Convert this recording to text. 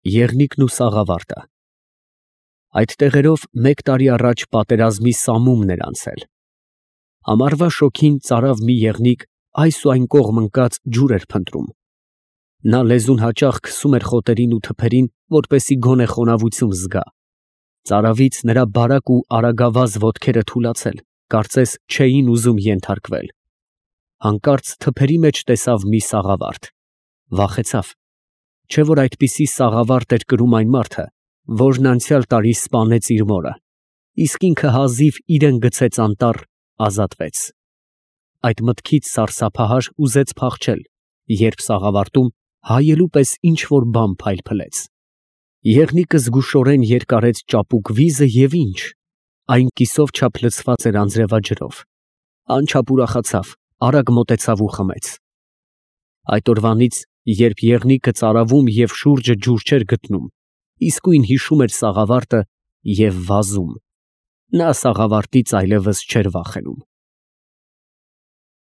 ԵՂՆԻԿՆ ՈՒ ՍԱՂԱՎԱՐՏԸ Այդ տեղերով մեկ տարի առաջ պատերազմի սամումն էր անցել. ամառվա շոգին ծարավ մի եղնիկ այս ու այն կողմ ընկած ջուր էր փնտրում. նա լեզուն հաճախ քսում էր խոտերին ու թփերին, որպեսզի գոնե խոնավություն զգա. ծարավից նրա բարակ ու արագավազ ոտքերը թուլացել, կարծես չէին ուզում ենթարկվել. հանկարծ թփերի մեջ տեսավ մի սաղավարտ, վախեցավ, չէ՞ որ այդպիսի սաղավարտ էր կրում այն մարդը, որն անցյալ տարի սպանեց իր մորը, իսկ ինքը հազիվ իրան գցեց անտառ, ազատվեց. այդ մտքից սարսափահար ուզեց փախչել, երբ սաղավարտում հայելու պես ինչ֊որ բան փայլփլեց. եղնիկը զգուշորեն երկարեց ճապուկ վիզը և ինչ, այն կիսով չափ լցված էր անձրևաջրով, անչափ ուրախացավ, արագ մոտեցավ ու խմեց. այդ օրվանից, երբ եղնիկը ծարավում և շուրջը ջուր չէր գտնում, իսկույն հիշում էր սաղավարտը և վազում. նա սաղավարտից այլևս չէր վախենում։